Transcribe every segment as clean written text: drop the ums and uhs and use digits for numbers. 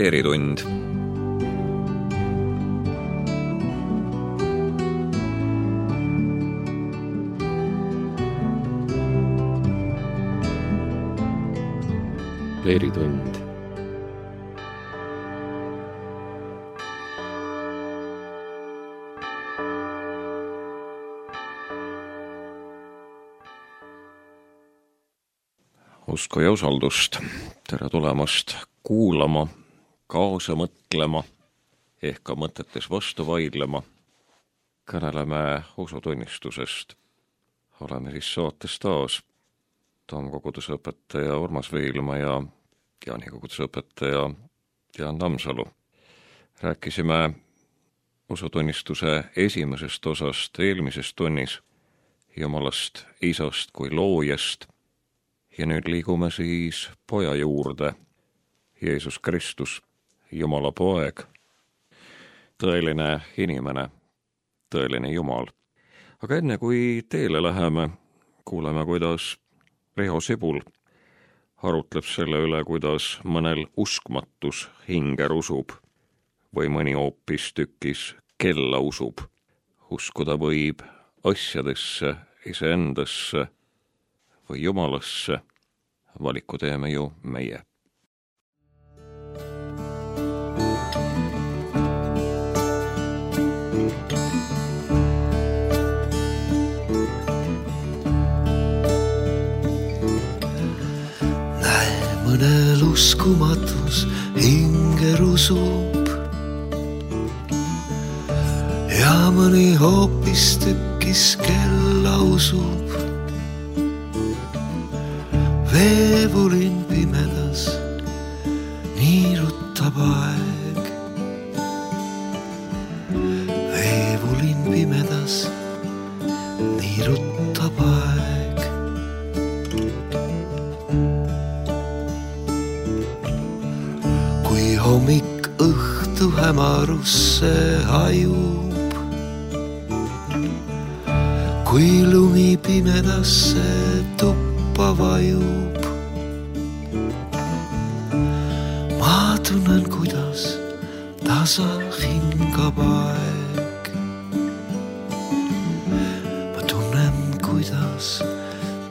Leeritund. Leeritund. Usku ja usaldust. Tere tulemast kuulama, kaasa mõtlema, ehk ka mõtetes vastu vaidlema. Kõneleme usutunnistusest. Oleme siis saates taas Tamm koguduse õpetaja Urmas Viilma ja Jaani koguduse õpetaja Jaan Tammsalu. Rääkisime usutunnistuse esimesest osast eelmises tunnis, Jumalast Isast kui loojast. Ja nüüd liigume siis poja juurde, Jeesus Kristus, Jumala poeg, tõeline inimene, tõeline Jumal. Aga enne kui teele läheme, kuuleme, kuidas Riho Sibul arutleb selle üle, kuidas mõnel uskmatus hinger usub või mõni hoopis tükis kella usub. Uskuda võib asjadesse, iseendasse või Jumalasse, valiku teeme ju meie. Näe, mõnel uskumatus hinger usub ja mõni hoopis tükis kella usub. Veevulin pimedas niirutab aeg. Veevulin pimedas niirutab aeg. Kui hommik õhtu hämarusse hajub, kui lumi pimedasse tuppa vajub, ma tunnen, kuidas tasa hingab aeg. Ma tunnen, kuidas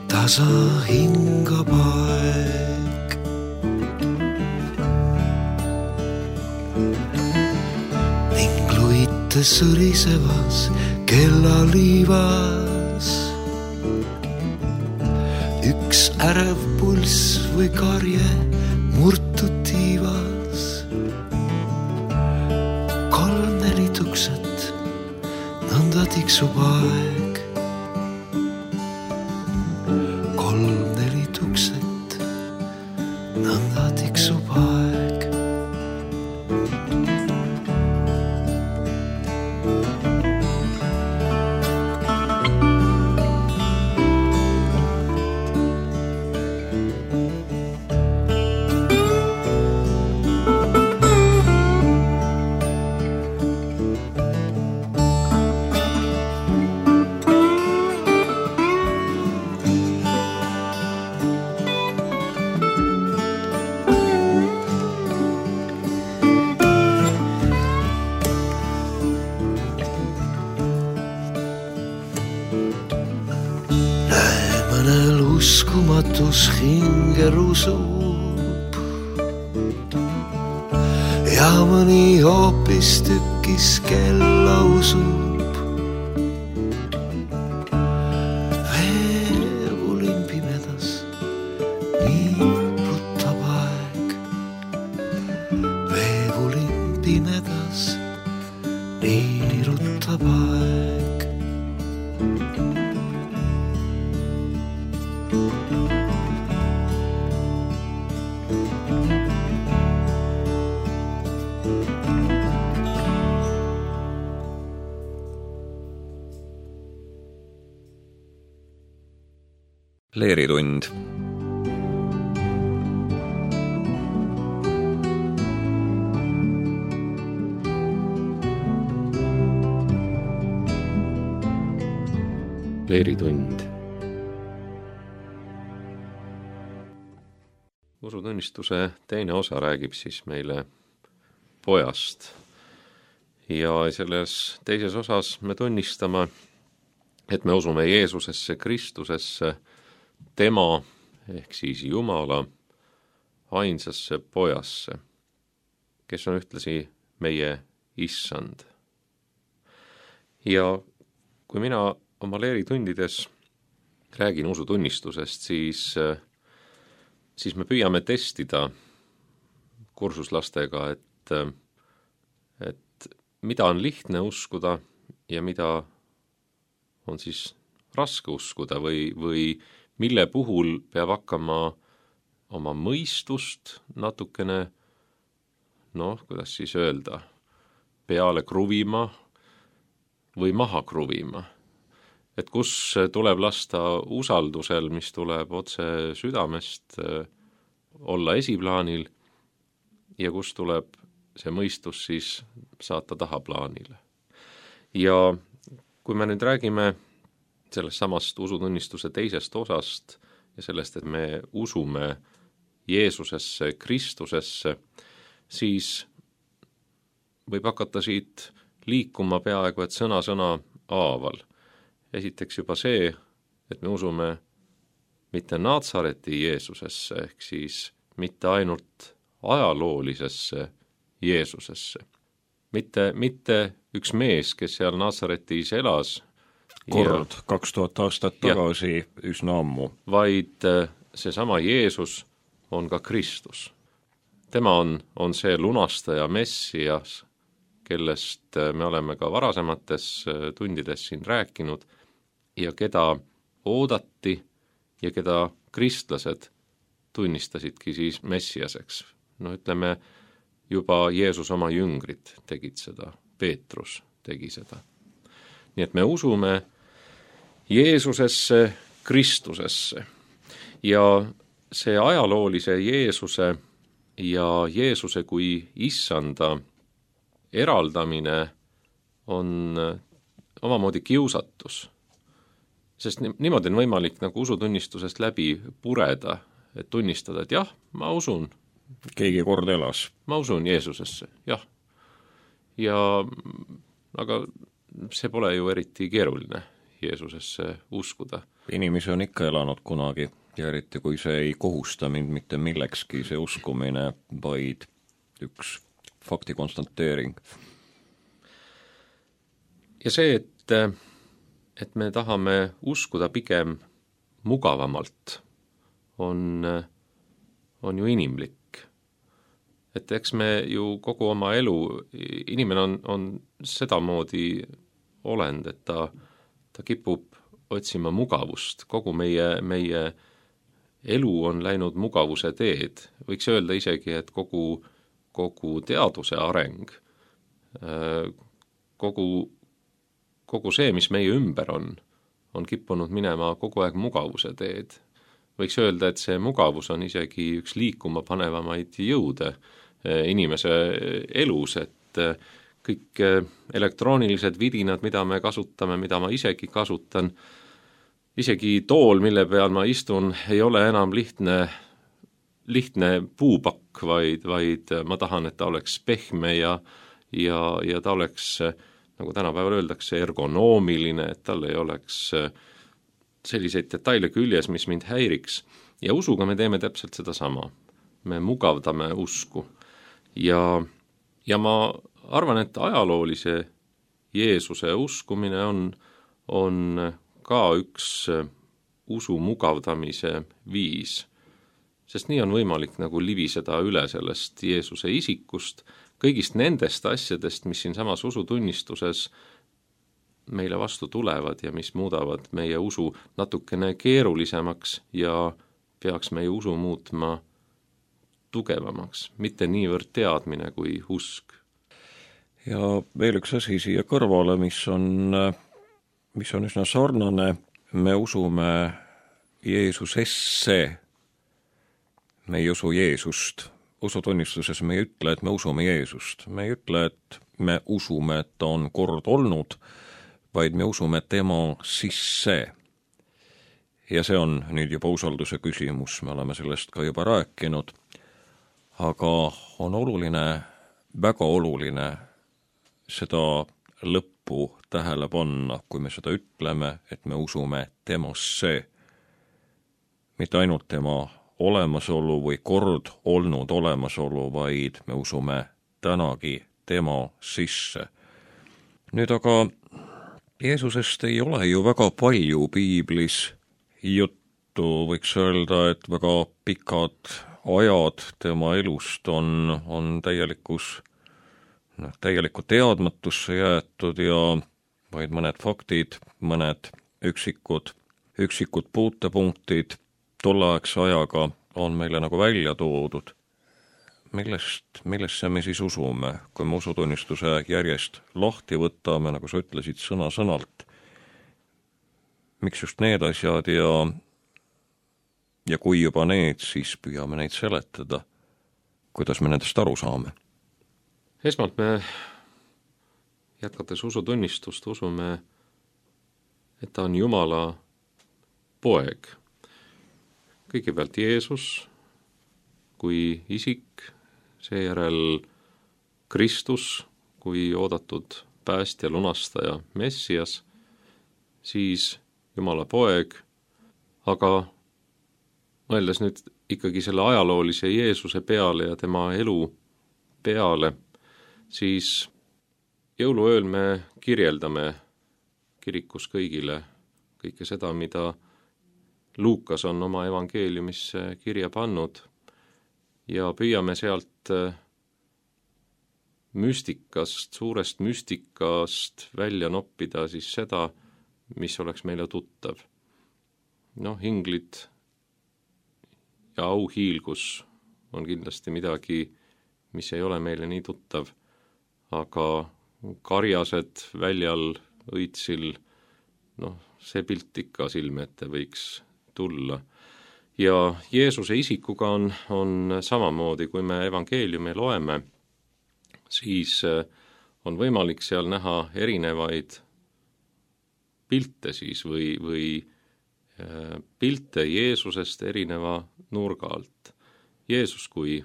tasa hingab aeg. Ning luite sõrisevas kellaliivas üks ärev pulss või karje murtud tiivas. 3-4 tukset, nõnda tiksub aeg. 3-4 tukset, nõnda tiksub aeg. Uskumatus hinger usub ja mõni hoopis tükis kella usub. Veevulin pimedas niirutab aeg. Veevulin pimedas niirutab aeg. Leeritund. Leeritund. Usutunnistuse teine osa räägib siis meile pojast. Ja selles teises osas me tunnistame, et me usume Jeesusesse, Kristusesse, tema ehk siis Jumala ainsasse pojasse, kes on ühtlasi meie issand. Ja kui mina oma leeritundides räägin usutunnistusest, siis me püüame testida kursuslastega, et mida on lihtne uskuda ja mida on siis raske uskuda või mille puhul peab hakkama oma mõistust natukene, kuidas siis öelda, peale kruvima või maha kruvima. Et kus tuleb lasta usaldusel, mis tuleb otse südamest, olla esiplaanil ja kus tuleb see mõistus siis saata tahaplaanile. Ja kui me nüüd räägime sellest samast usutunnistuse teisest osast ja sellest, et me usume Jeesusesse, Kristusesse, siis võib hakata siit liikuma peaaegu et sõna haaval. Esiteks juba see, et me usume mitte Natsareti Jeesusesse, ehk siis mitte ainult ajaloolisesse Jeesusesse. Mitte üks mees, kes seal Natsaretis elas. Kord 2000 aastat tagasi üsna ammu. Vaid seesama Jeesus on ka Kristus. Tema on see lunastaja Messias, kellest me oleme ka varasemates tundides siin rääkinud ja keda oodati ja keda kristlased tunnistasidki siis Messiaseks. Ütleme, juba Jeesus oma jüngrid tegid seda, Peetrus tegi seda. Nii et me usume Jeesusesse, Kristusesse ja see ajaloolise Jeesuse ja Jeesuse kui issanda eraldamine on omamoodi kiusatus. Sest niimoodi on võimalik nagu usutunnistusest läbi pureda, et tunnistada, et jah, ma usun. Keegi kord elas. Ma usun Jeesusesse, jah. Aga see pole ju eriti keeruline Jeesusesse uskuda. Inimesi on ikka elanud kunagi ja eriti kui see ei kohusta mind mitte millekski see uskumine, vaid üks fakti konstanteering. Ja see, et me tahame uskuda pigem mugavamalt, on ju inimlik. Et eks me ju kogu oma elu, inimene on sedamoodi olend, et ta kipub otsima mugavust. Kogu meie elu on läinud mugavuse teed. Võiks öelda isegi, et kogu teaduse areng, kogu see, mis meie ümber on kippunud minema kogu aeg mugavuse teed. Võiks öelda, et see mugavus on isegi üks liikuma panevamaid jõude inimese elus, et kõik elektroonilised vidinad, mida me kasutame, mida ma isegi kasutan, isegi tool, mille peal ma istun, ei ole enam lihtne puupakk, vaid ma tahan, et ta oleks pehme ja ta oleks, nagu tänapäeval öeldakse, ergonoomiline, et tal ei oleks selliseid detaile küljes, mis mind häiriks. Ja usuga me teeme täpselt seda sama. Me mugavdame usku. Ja ma arvan, et ajaloolise Jeesuse uskumine on ka üks usu mugavdamise viis. Sest nii on võimalik nagu libiseda üle sellest Jeesuse isikust, kõigist nendest asjadest, mis siin samas usutunnistuses meile vastu tulevad ja mis muudavad meie usu natukene keerulisemaks ja peaks meie usu muutma tugevamaks, mitte niivõrd teadmine kui usk. Ja veel üks asi siia kõrvale, mis on üsna sarnane, me usume Jeesusesse, me ei usu Jeesust. Usutunnistuses me ei ütle, et me usume Jeesust. Me ei ütle, et me usume, et ta on kord olnud, vaid me usume tema sisse. Ja see on nüüd juba usalduse küsimus, me oleme sellest ka juba rääkinud, aga on oluline väga oluline seda lõppu tähele panna, kui me seda ütleme, et me usume temasse, mitte ainult tema olemasolu või kord olnud olemasolu, vaid me usume tänagi tema sisse. Nüüd aga Jeesusest ei ole ju väga palju piiblis juttu, võiks öelda, et väga pikad ajad tema elust on täielikku teadmatusse jäetud ja vaid mõned faktid, mõned üksikud puutepunktid tolleaegse ajaga on meile nagu välja toodud. Millesse me siis usume, kui me usutunnistuse järjest lahti võtame, nagu sa ütlesid, sõna-sõnalt? Miks just need asjad ja kui juba need, siis püüame neid seletada. Kuidas me nendest aru saame? Esmalt me, jätkates usutunnistust, usume, et ta on Jumala poeg. Kõigepealt Jeesus kui isik, seejärel Kristus kui oodatud päästja, lunastaja, Messias, siis Jumala poeg, aga mõeldes nüüd ikkagi selle ajaloolise Jeesuse peale ja tema elu peale, siis jõuluööl me kirjeldame kirikus kõigile kõike seda, mida Luukas on oma evangeeliumisse kirja pannud ja püüame sealt müstikast, suurest müstikast välja noppida siis seda, mis oleks meile tuttav. Inglid ja auhiilgus on kindlasti midagi, mis ei ole meile nii tuttav, aga karjased väljal õitsil, see pilt ikka silme ette võiks tulla. Ja Jeesuse isikuga on samamoodi, kui me evangeeliumi loeme, siis on võimalik seal näha erinevaid pilte siis või pilte Jeesusest erineva nurga alt. Jeesus kui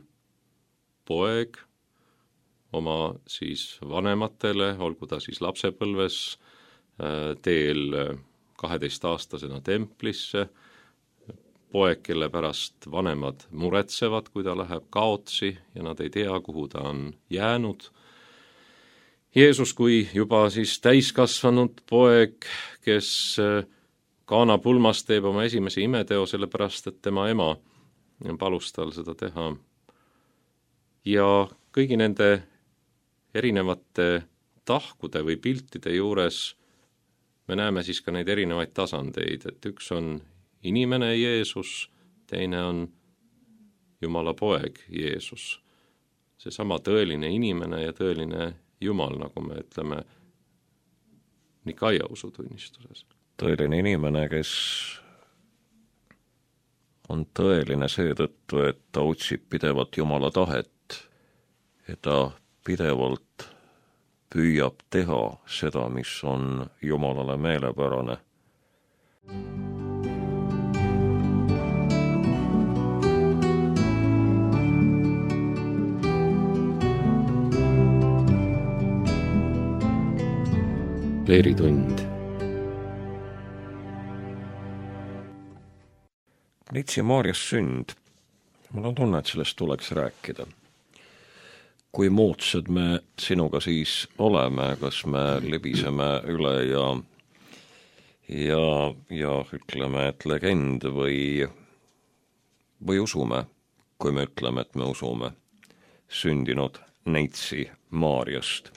poeg oma siis vanematele, olgu ta siis lapsepõlves, teel 12-aastasena templisse, poeg, kelle pärast vanemad muretsevad, kui ta läheb kaotsi ja nad ei tea, kuhu ta on jäänud. Jeesus kui juba siis täiskasvanud poeg, kes Kaana pulmas teeb oma esimese imeteo, sellepärast et tema ema palus tal seda teha. Ja kõigi nende erinevate tahkude või piltide juures me näeme siis ka neid erinevaid tasandeid, et üks on inimene Jeesus, teine on Jumala poeg Jeesus. Seesama tõeline inimene ja tõeline Jumal, nagu me ütleme Nikaia usutunnistuses. Tõeline inimene, kes on tõeline seetõttu, et ta otsib pidevalt Jumala tahet ja ta pidevalt püüab teha seda, mis on Jumalale meelepärane. Leeritund. Neitsi Maarjas sünd. Mul on tunne, et sellest tuleks rääkida. Kui moodsad me sinuga siis oleme, kas me libiseme üle ja ütleme, et legend või usume, kui me ütleme, et me usume sündinud Neitsi Maarjast.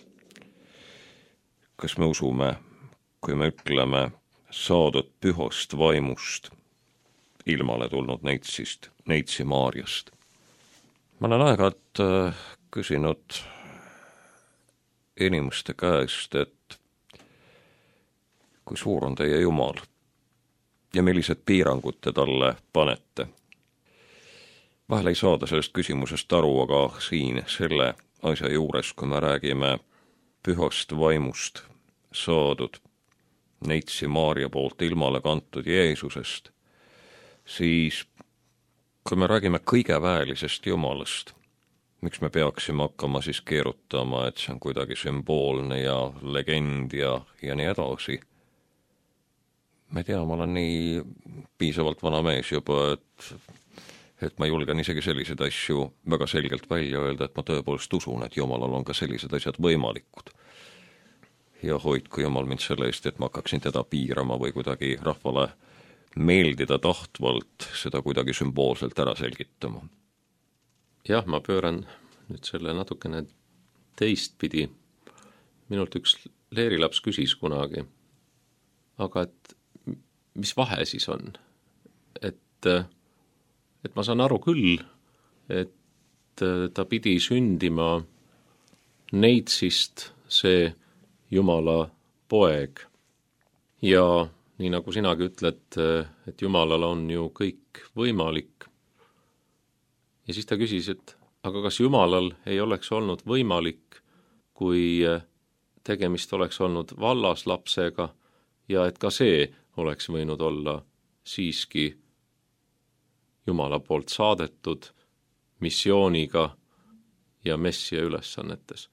Kas me usume, kui me ütleme saadud pühast vaimust ilmale tulnud Neitsist, Neitsi Maarjast? Ma olen aeg-ajalt küsinud inimeste käest, et kui suur on teie Jumal ja millised piirangud te talle panete. Vahel ei saada sellest küsimusest aru, aga siin selle asja juures, kui me räägime pühast vaimust saadud Neitsi Maarja poolt ilmale kantud Jeesusest, siis kui me räägime kõige väelisest Jumalast, miks me peaksime hakkama siis keerutama, et see on kuidagi sümboolne ja legend ja nii edasi. Ma ei tea, ma olen nii piisavalt vana mees juba, et ma julgen isegi selliseid asju väga selgelt välja öelda, et ma tõepoolest usun, et Jumalal on ka sellised asjad võimalikud. Ja hoidku Jumal mind selle eest, et ma hakkaksin teda piirama või kuidagi rahvale meeldida tahtvalt seda kuidagi sümboolselt ära selgitama. Jah, ma pööran nüüd selle natukene teistpidi. Minult üks leerilaps küsis kunagi, aga et mis vahe siis on? Et ma saan aru küll, et ta pidi sündima neitsist see Jumala poeg. Ja nii nagu sinagi ütled, et Jumalal on ju kõik võimalik. Ja siis ta küsis, et aga kas Jumalal ei oleks olnud võimalik, kui tegemist oleks olnud vallaslapsega ja et ka see oleks võinud olla siiski Jumala poolt saadetud missiooniga ja messia ülesannetes.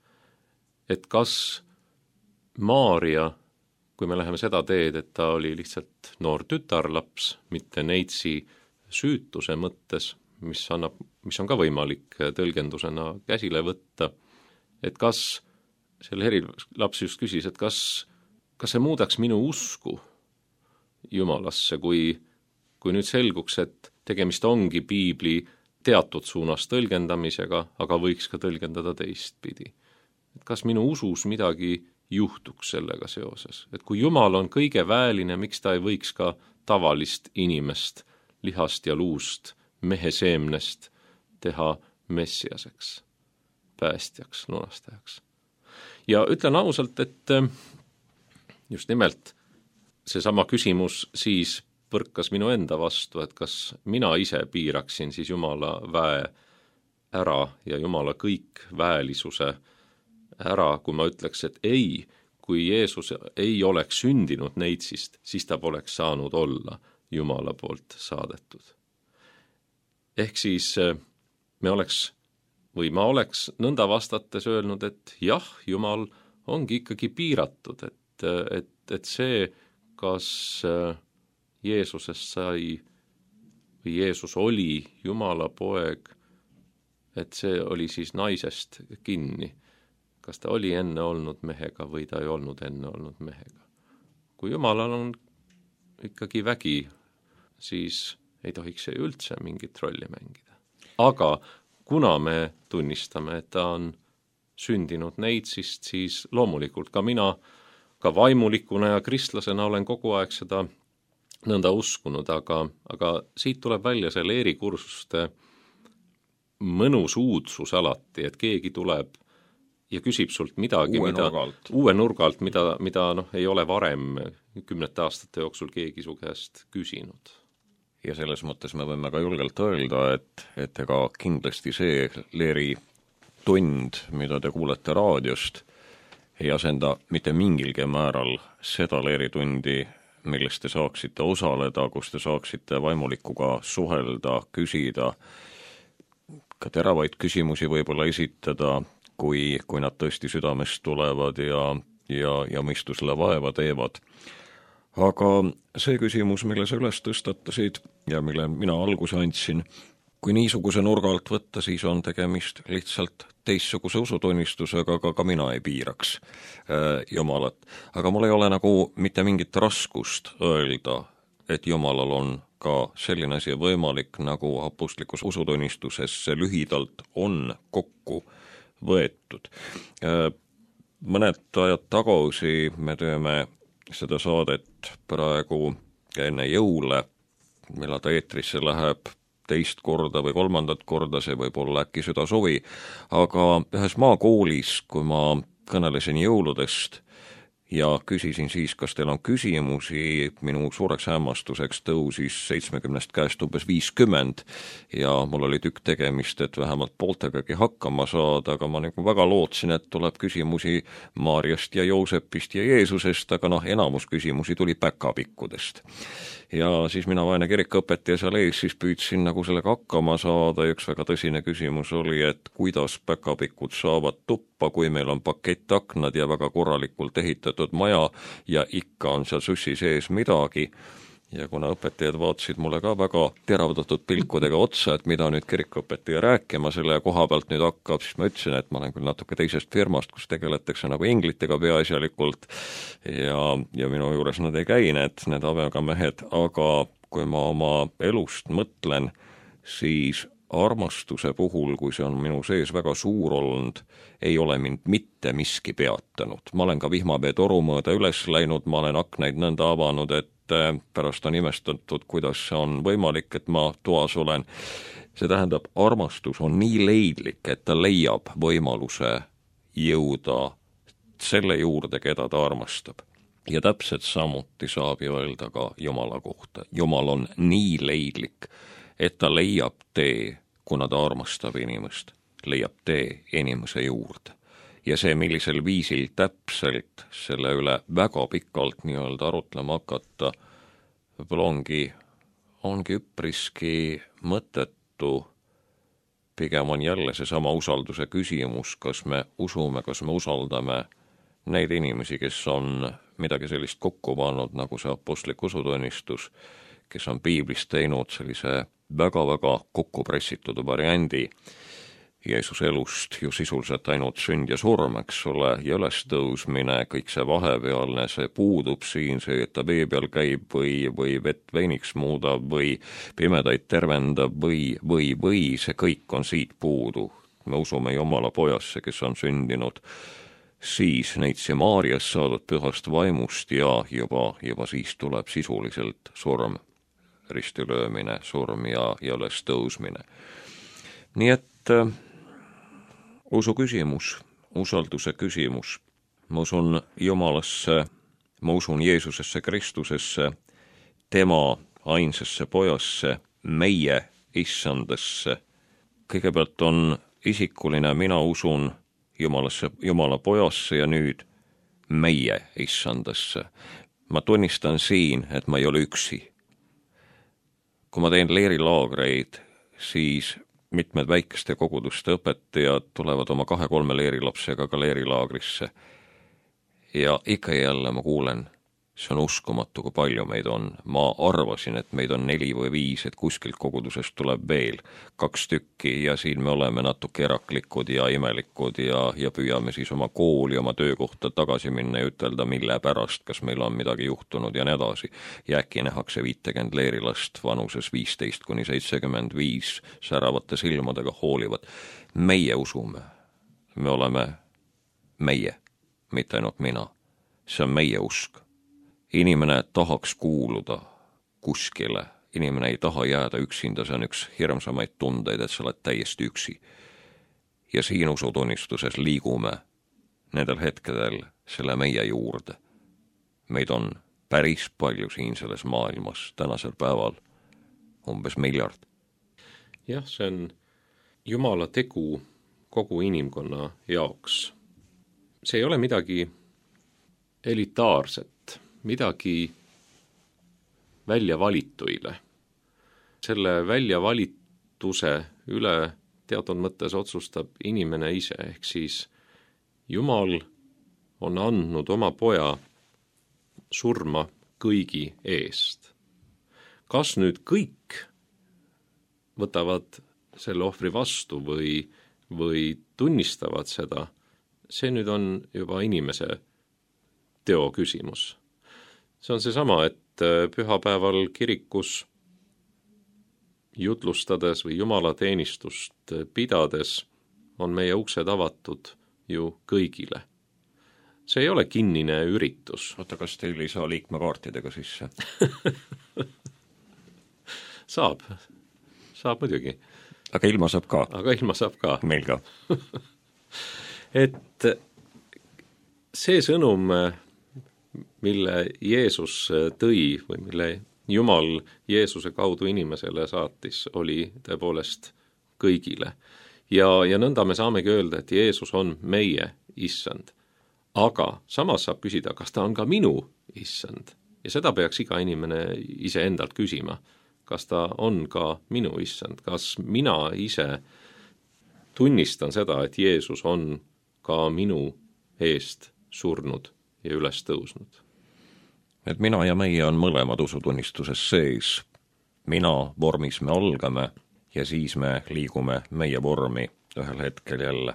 Et kas Maaria, kui me läheme seda teed, et ta oli lihtsalt noor tütarlaps, mitte neitsi süütuse mõttes, mis on ka võimalik tõlgendusena käsile võtta, et kas, selle laps just küsis, et kas see muudaks minu usku Jumalasse, kui nüüd selguks, et tegemist ongi piibli teatud suunas tõlgendamisega, aga võiks ka tõlgendada teistpidi. Et kas minu usus midagi juhtuks sellega seoses? Et kui Jumal on kõige vääline, miks ta ei võiks ka tavalist inimest, lihast ja luust, mehe seemnest teha messiaseks, päästjaks, lunastajaks? Ja ütlen ausalt, et just nimelt seesama küsimus siis põrkas minu enda vastu, et kas mina ise piiraksin siis Jumala väe ära ja Jumala kõik väelisuse ära, kui ma ütleks, et ei, kui Jeesus ei oleks sündinud neitsist, siis ta poleks saanud olla Jumala poolt saadetud. Ehk siis ma oleks nõnda vastates öelnud, et jah, Jumal ongi ikkagi piiratud, et see, kas Jeesusest sai või Jeesus oli Jumala poeg, et see oli siis naisest kinni. Kas ta oli enne olnud mehega või ta ei olnud enne olnud mehega. Kui Jumalal on ikkagi vägi, siis ei tohiks see üldse mingit rolli mängida. Aga kuna me tunnistame, et ta on sündinud neitsist, siis loomulikult ka mina, ka vaimulikuna ja kristlasena olen kogu aeg seda nõnda uskunud, aga siit tuleb välja see leerikursuste mõnus uudsus alati, et keegi tuleb ja küsib sult midagi, uue nurgalt, mida ei ole varem 10 aastate jooksul keegi su käest küsinud. Ja selles mõttes me võime ka julgelt öelda, et ega kindlasti see leeritund, mida te kuulete raadiost, ei asenda mitte mingilgi määral seda leeritundi, millest te saaksite osaleda, kus te saaksite vaimulikuga suhelda, küsida, ka teravaid küsimusi võib-olla esitada, kui nad tõesti südamest tulevad ja mõistusele vaeva teevad. Aga see küsimus, mille sa üles tõstatasid ja mille mina alguse andsin, kui niisuguse nurga alt võtta, siis on tegemist lihtsalt teistsuguse usutunnistusega, aga ka mina ei piiraks Jumalat. Aga mul ei ole nagu mitte mingit raskust öelda, et Jumalal on ka selline asi võimalik, nagu apostlikus usutunnistuses lühidalt on kokku võetud. Mõned ajad tagasi me teeme seda saadet praegu enne jõule, millal ta eetrisse läheb teist korda või kolmandat korda, see võib olla äkki südasuvi, aga ühes maakoolis, kui ma kõnelesin jõuludest ja küsisin siis, kas teil on küsimusi, minu suureks hämmastuseks tõusis 70 käest umbes 50 ja mul oli tükk tegemist, et vähemalt pooltegagi hakkama saada, aga ma nagu väga lootsin, et tuleb küsimusi Maarjast ja Joosepist ja Jeesusest, aga enamus küsimusi tuli päkapikkudest. Ja siis mina, vaene kirikuõpetaja seal ees, siis püüdsin nagu sellega hakkama saada ja üks väga tõsine küsimus oli, et kuidas päkapikud saavad tuppa, kui meil on pakettaknad ja väga korralikult ehitatud maja ja ikka on seal sussi sees midagi. Ja kuna õpetajad vaatasid mulle ka väga teravdatud pilkudega otsa, et mida nüüd kirikuõpetaja rääkima selle koha pealt nüüd hakkab, siis ma ütlesin, et ma olen küll natuke teisest firmast, kus tegeletakse nagu inglitega peaasjalikult ja minu juures nad ei käi, need avegamehed, aga kui ma oma elust mõtlen, siis armastuse puhul, kui see on minu sees väga suur olnud, ei ole mind mitte miski peatanud. Ma olen ka vihmapee toru mööda üles läinud, ma olen aknaid nõnda avanud, et pärast on imestatud, kuidas see on võimalik, et ma toas olen. See tähendab, armastus on nii leidlik, et ta leiab võimaluse jõuda selle juurde, keda ta armastab. Ja täpselt samuti saab ju öelda ka Jumala kohta. Jumal on nii leidlik, et ta leiab tee, kuna ta armastab inimest, leiab tee inimese juurde. Ja see, millisel viisil täpselt selle üle väga pikalt nii-öelda arutlema hakata, võib-olla ongi üpriski mõttetu, pigem on jälle seesama usalduse küsimus, kas me usume, kas me usaldame neid inimesi, kes on midagi sellist kokku pannud, nagu see apostlik usutunnistus, kes on piiblist teinud sellise väga-väga kokku pressitud variandi Jeesuse elust ju sisuliselt ainult sünd ja surm, eks ole, ja ülestõusmine, kõik see vahepealne, see puudub siin, see, et ta vee peal käib või vett veiniks muudab või pimedaid tervendab või see kõik on siit puudu. Me usume Jumala pojasse, kes on sündinud siis neitsi Maarjas saadud pühast vaimust ja juba siis tuleb sisuliselt surm, ristilöömine, surm ja ülestõusmine. Nii et usu küsimus, usalduse küsimus. Ma usun Jumalasse, ma usun Jeesusesse Kristusesse, tema ainsasse pojasse, meie issandasse. Kõigepealt on isikuline, mina usun Jumalasse, Jumala pojasse ja nüüd meie issandasse. Ma tunnistan siin, et ma ei ole üksi. Kui ma teen leerilaagreid, siis mitmed väikeste koguduste õpetajad tulevad oma 2-3 leerilapsega ka leerilaagrisse. Ja ikka jälle ma kuulen, see on uskumatu, kui palju meid on. Ma arvasin, et meid on 4 või 5, et kuskilt kogudusest tuleb veel 2 tükki ja siin me oleme natuke eraklikud ja imelikud ja püüame siis oma kooli, oma töökohta tagasi minna ja ütelda, mille pärast, kas meil on midagi juhtunud ja nii edasi. Ja äkki nähakse 50 leerilast vanuses 15–75 säravate silmadega hoolivad. Meie usume, me oleme meie, mitte ainult mina. See on meie usk. Inimene tahaks kuuluda kuskile, inimene ei taha jääda üksinda, see on üks hirmsamaid tundeid, et sa oled täiesti üksi. Ja siin usutunnistuses liigume nendel hetkedel selle meie juurde. Meid on päris palju siin selles maailmas tänasel päeval, umbes 1 miljard. Jah, see on Jumala tegu kogu inimkonna jaoks. See ei ole midagi elitaarset, midagi väljavalituile. Selle väljavalituse üle teatud mõttes otsustab inimene ise, ehk siis Jumal on andnud oma poja surma kõigi eest. Kas nüüd kõik võtavad selle ohvri vastu või tunnistavad seda, see nüüd on juba inimese teo küsimus. See on seesama, et pühapäeval kirikus jutlustades või jumalateenistust pidades on meie uksed avatud ju kõigile. See ei ole kinnine üritus. Oota, kas teil ei saa liikmekaartidega sisse? Saab muidugi. Aga ilma saab ka? Meil ka. Et see sõnum mille Jeesus tõi või mille Jumal Jeesuse kaudu inimesele saatis, oli tõepoolest kõigile. Ja nõnda me saamegi öelda, et Jeesus on meie issand. Aga samas saab küsida, kas ta on ka minu issand. Ja seda peaks iga inimene iseendalt küsima. Kas ta on ka minu issand? Kas mina ise tunnistan seda, et Jeesus on ka minu eest surnud ja üles tõusnud? Et mina ja meie on mõlemad usutunnistuses sees. Mina vormis me algame ja siis me liigume meie vormi ühel hetkel jälle.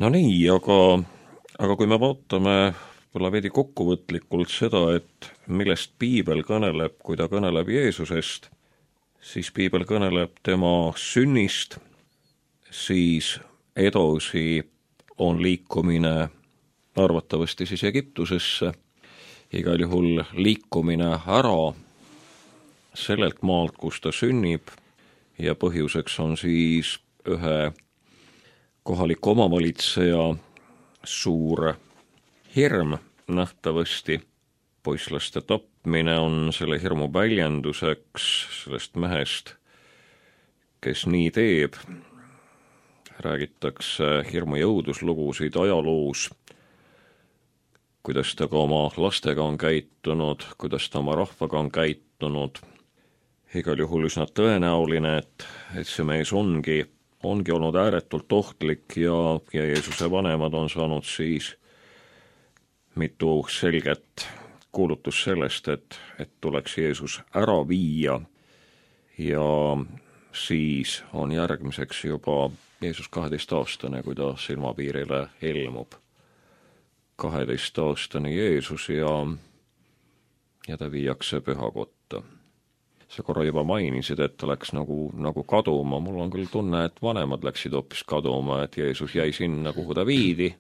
No nii, aga kui me vaatame võib-olla veidi kokkuvõtlikult seda, et millest piibel kõneleb, kui ta kõneleb Jeesusest, siis piibel kõneleb tema sünnist, siis edasi on liikumine arvatavasti siis Egiptusesse, igal juhul liikumine ära sellelt maalt, kus ta sünnib, ja põhjuseks on siis ühe kohaliku omavalitseja suur hirm nähtavasti. Poisslaste tapmine on selle hirmu väljenduseks sellest mehest, kes nii teeb. Räägitakse hirmu jõuduslugusid ajaloos, kuidas ta ka oma lastega on käitunud, kuidas ta oma rahvaga on käitunud. Igal juhul üsna tõenäoline, et see mees ongi olnud ääretult ohtlik ja Jeesuse vanemad on saanud siis mitu selget kuulutus sellest, et tuleks Jeesus ära viia ja siis on järgmiseks juba Jeesus 12-aastane, kui ta silmapiirile ilmub. 12-aastane Jeesus ja ta viiakse pühakotta. Sa korra juba mainisid, et ta läks nagu kaduma. Mul on küll tunne, et vanemad läksid hoopis kaduma, et Jeesus jäi sinna, kuhu ta viidi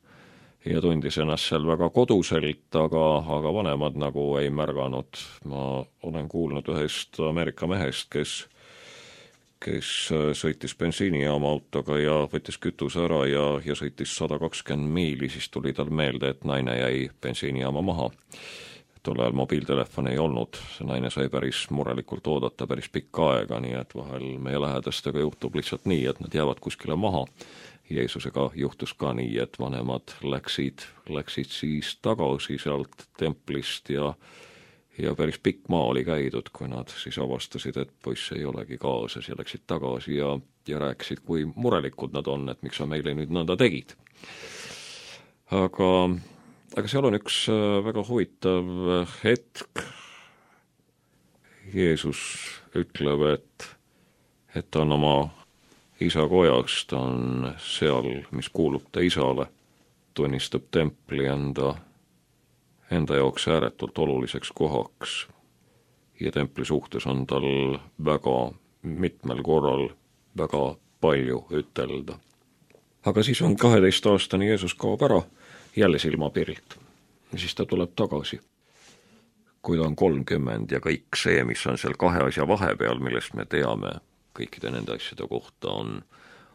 ja tundis ennast seal väga koduselt, aga vanemad nagu ei märganud. Ma olen kuulnud ühest Ameerika mehest, kes sõitis bensiinijaama autoga ja võttis kütuse ära ja sõitis 120 miili, siis tuli tal meelde, et naine jäi bensiinijaama maha. Tol ajal mobiiltelefon ei olnud, see naine sai päris murelikult oodata päris pikka aega, nii et vahel meie lähedastega juhtub lihtsalt nii, et nad jäävad kuskile maha. Jeesusega juhtus ka nii, et vanemad läksid siis tagasi sealt templist ja päris pikk maa oli käidud, kui nad siis avastasid, et poiss ei olegi kaasas ja läksid tagasi ja rääkisid, kui murelikud nad on, et miks sa meile nüüd nõnda tegid. Aga seal on üks väga huvitav hetk. Jeesus ütleb, et ta on oma isa kojas, ta on seal, mis kuulub ta isale, tunnistab templi enda jaoks ääretult oluliseks kohaks ja templi suhtes on tal väga mitmel korral väga palju ütelda. Aga siis on 12-aastane Jeesus kaob ära jälle silmapiirilt ja siis ta tuleb tagasi. Kui ta on 30 ja kõik see, mis on seal kahe asja vahepeal, millest me teame kõikide nende asjade kohta,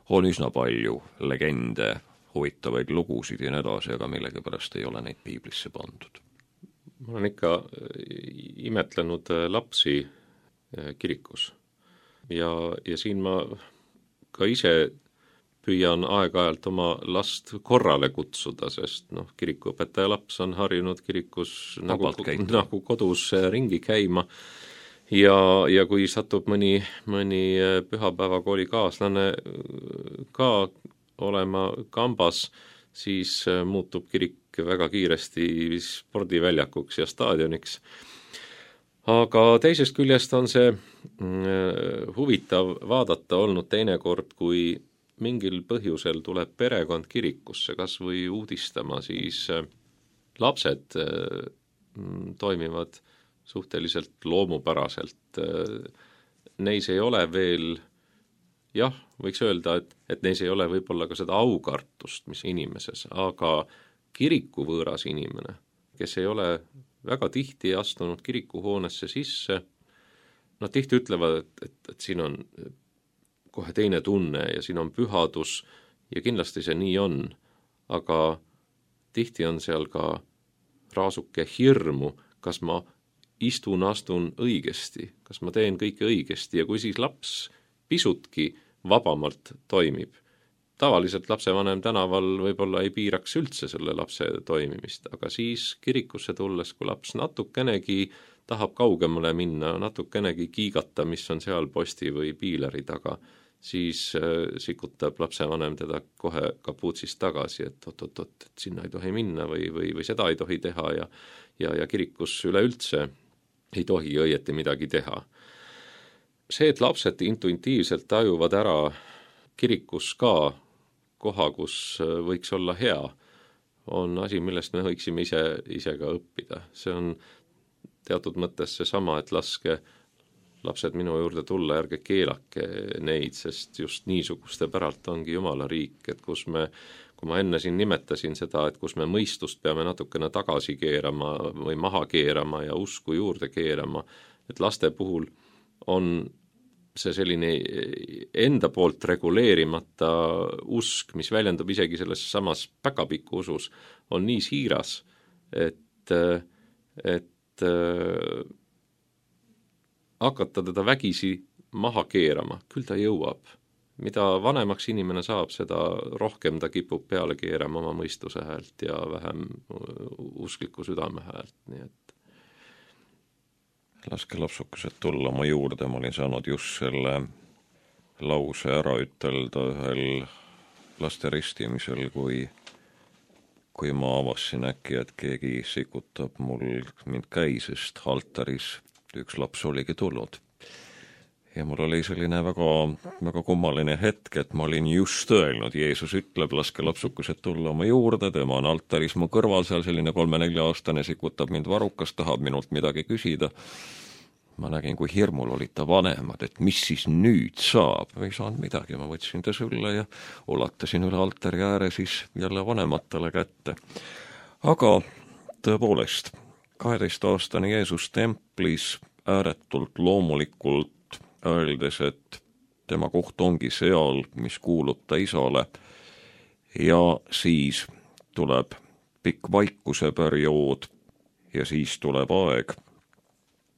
on üsna palju legende, huvitavaid lugusid ja nii edasi, aga millegipärast ei ole neid piiblisse pandud. Ma olen ikka imetlenud lapsi kirikus ja siin ma ka ise püüan aeg-ajalt oma last korrale kutsuda, sest kirikuõpetaja laps on harjunud kirikus nagu kodus ringi käima ja kui satub mõni pühapäevakooli kaaslane ka olema kambas, siis muutub kirik väga kiiresti spordiväljakuks ja staadioniks. Aga teisest küljest on see huvitav vaadata olnud teinekord, kui mingil põhjusel tuleb perekond kirikusse, kas või uudistama, siis lapsed toimivad suhteliselt loomupäraselt. Neis ei ole veel, võiks öelda, et neis ei ole võib-olla ka seda aukartust, mis inimeses, aga kirikuvõõras inimene, kes ei ole väga tihti astunud kirikuhoonesse sisse, nad tihti ütlevad, et siin on kohe teine tunne ja siin on pühadus ja kindlasti see nii on, aga tihti on seal ka raasuke hirmu, kas ma astun õigesti, kas ma teen kõike õigesti ja kui siis laps pisutki vabamalt toimib. Tavaliselt lapsevanem tänaval võib-olla ei piiraks üldse selle lapse toimimist, aga siis kirikusse tulles, kui laps natukenegi tahab kaugemale minna, natukenegi kiigata, mis on seal posti või piileri taga, siis sikutab lapsevanem teda kohe kapuutsist tagasi, et oot, et sinna ei tohi minna või seda ei tohi teha ja kirikus üleüldse ei tohi õieti midagi teha. See, et lapsed intuitiivselt tajuvad ära kirikus ka koha, kus võiks olla hea, on asi, millest me võiksime ise ka õppida. See on teatud mõttes seesama, et laske lapsed minu juurde tulla, ärge keelake neid, sest just niisuguste päralt ongi Jumala riik, et kui ma enne siin nimetasin seda, et kus me mõistust peame natukene tagasi keerama või maha keerama ja usku juurde keerama, et laste puhul on see selline enda poolt reguleerimata usk, mis väljendub isegi selles samas päkapiku usus, on nii siiras, et hakata teda vägisi maha keerama, küll ta jõuab. Mida vanemaks inimene saab, seda rohkem ta kipub peale keerama oma mõistuse häält ja vähem uskliku südame häält, nii et laske lapsukesed tulla oma juurde, ma olin saanud just selle lause ära ütelda ühel laste ristimisel, kui ma avasin äkki, et keegi sikutab mul mind käisest altaris, üks laps oligi tulnud. Ja mul oli selline väga kummaline hetk, et ma olin just öelnud, Jeesus ütleb, laske lapsukesed tulla oma juurde, tema on altaris mu kõrval, seal selline 3-4-aastane sikutab mind varukas, tahab minult midagi küsida. Ma nägin, kui hirmul olid ta vanemad, et mis siis nüüd saab. Ei saanud midagi, ma võtsin ta sülle ja ulatasin üle altari ääre siis jälle vanematele kätte. Aga tõepoolest, 12-aastane Jeesus templis ääretult loomulikult öeldes, et tema koht ongi seal, mis kuulub ta isale, ja siis tuleb pikk vaikuse periood ja siis tuleb aeg,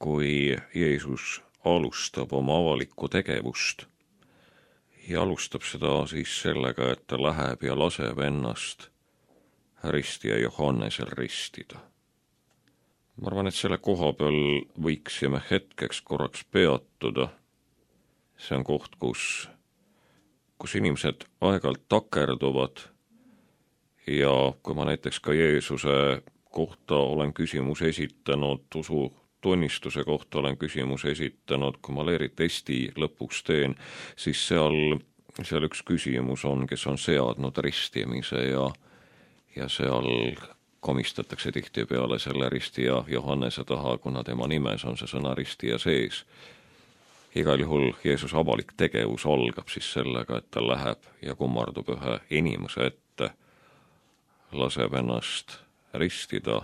kui Jeesus alustab oma avalikku tegevust ja alustab seda siis sellega, et ta läheb ja laseb ennast ristija Johannesel ristida. Ma arvan, et selle koha peal võiksime hetkeks korraks peatuda. See on koht, kus inimesed aeg-ajalt takerduvad ja kui ma näiteks ka Jeesuse kohta olen küsimus esitanud, usu tunnistuse kohta olen küsimus esitanud, kui ma leeritesti lõpuks teen, siis seal üks küsimus on, kes on seadnud ristimise ja seal komistatakse tihtipeale selle ristija Johannese taha, kuna tema nimes on see sõna ristija sees. Igal juhul Jeesus avalik tegevus algab siis sellega, et ta läheb ja kummardub ühe inimese ette, laseb ennast ristida